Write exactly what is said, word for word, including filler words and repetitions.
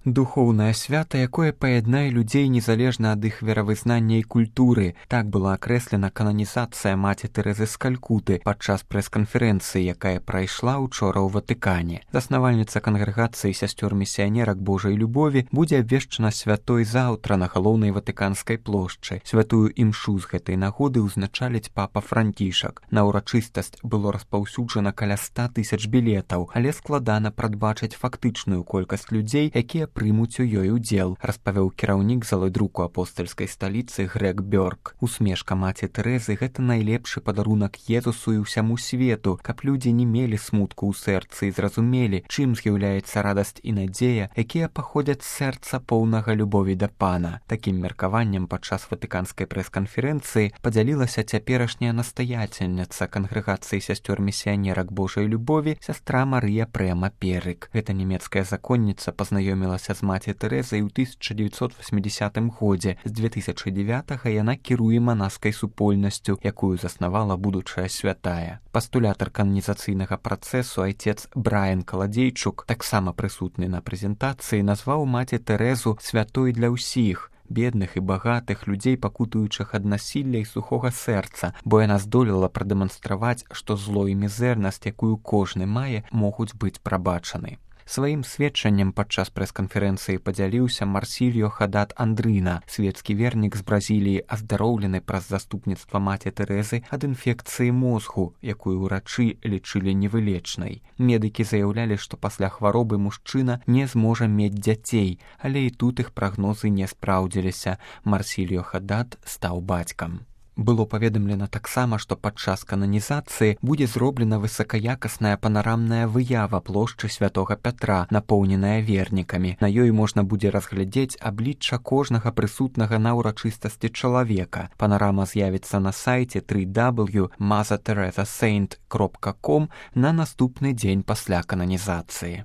Духоўнае свята, якое паяднае людзей незалежна ад іх веравызнання і культуры. Так была акрэслена кананізацыя маці Тэрэзы з Калькуты падчас прэс-канферэнцыі, якая прайшла учора ў Ватыкане. Заснавальніца кангрэгацыі сясцёр-місіянерак Божай любові будзе абвешчана святой заўтра на галоўнай ватыканскай плошчы. Святую імшу з гэтай нагоды ўзначаліць папа Францішак. На ўрачыстасць было распаўсюджана каля ста тысяч білетаў, але складана прадбачыць фактычную колькасць людзей, якія прымуць у ёй удзел, распавёў кіраўнік залы друку апостальскай сталіцы Грег Бёрк. Усмешка маці Тэрэзы — гэта найлепшы падарунак Езусу і ўсяму свету, каб людзі не мелі смутку ў сэрцы і зразумелі, чым з'яўляецца радасць і надзея, якія паходзяць з сэрца поўнага любові да Пана. Такім меркаваннем падчас ватыканскай прэс-канферэнцыі падзялілася цяперашняя настаяцельніца кангрэгацыі сясцёр-місіянерак Божай любові сястра Марыя Прэма Перык. Гэта нямецкая законніца пазнаёмілася з маці Тэрэзай у тысяча дзевяцьсот васьмідзясятым годзе. З дзве тысячы дзевятага яна кіруе манаскай супольнасцю, якую заснавала будучая святая. Пастулятар кананізацыйнага працэсу айцец Брайан Каладзейчук, таксама прысутны на прэзентацыі, назваў маці Тэрэзу святой для ўсіх, бедных і багатых, людзей, пакутуючых ад насілля і сухога сэрца, бо яна здолела прадэманстраваць, што зло і мізэрнасць, якую кожны мае, могуць быць прабачаны. Сваім сведчаннем падчас прэс-канферэнцыі падзяліўся Марсільо Хадат Андрына, свецкі вернік з Бразіліі, аздароўлены праз заступніцтва маці Тэрэзы ад інфекцыі мозгу, якую ўрачы лічылі невылечнай. Медыкі заяўлялі, што пасля хваробы мужчына не зможа мець дзяцей, але і тут іх прагнозы не спраўдзіліся. Марсільо Хадат стаў бацькам. Было паведамлена таксама, што падчас кананізацыі будзе зроблена высакаякасная панарамная выява плошчы святога Пятра, напоўненая вернікамі. На ёй можна будзе разглядзець аблічча кожнага прысутнага на ўрачыстасці чалавека. Панарама з'явіцца на сайце дабл ю дабл ю крапка маза тэрэза сэйнт крапка ком на наступны дзень пасля кананізацыі.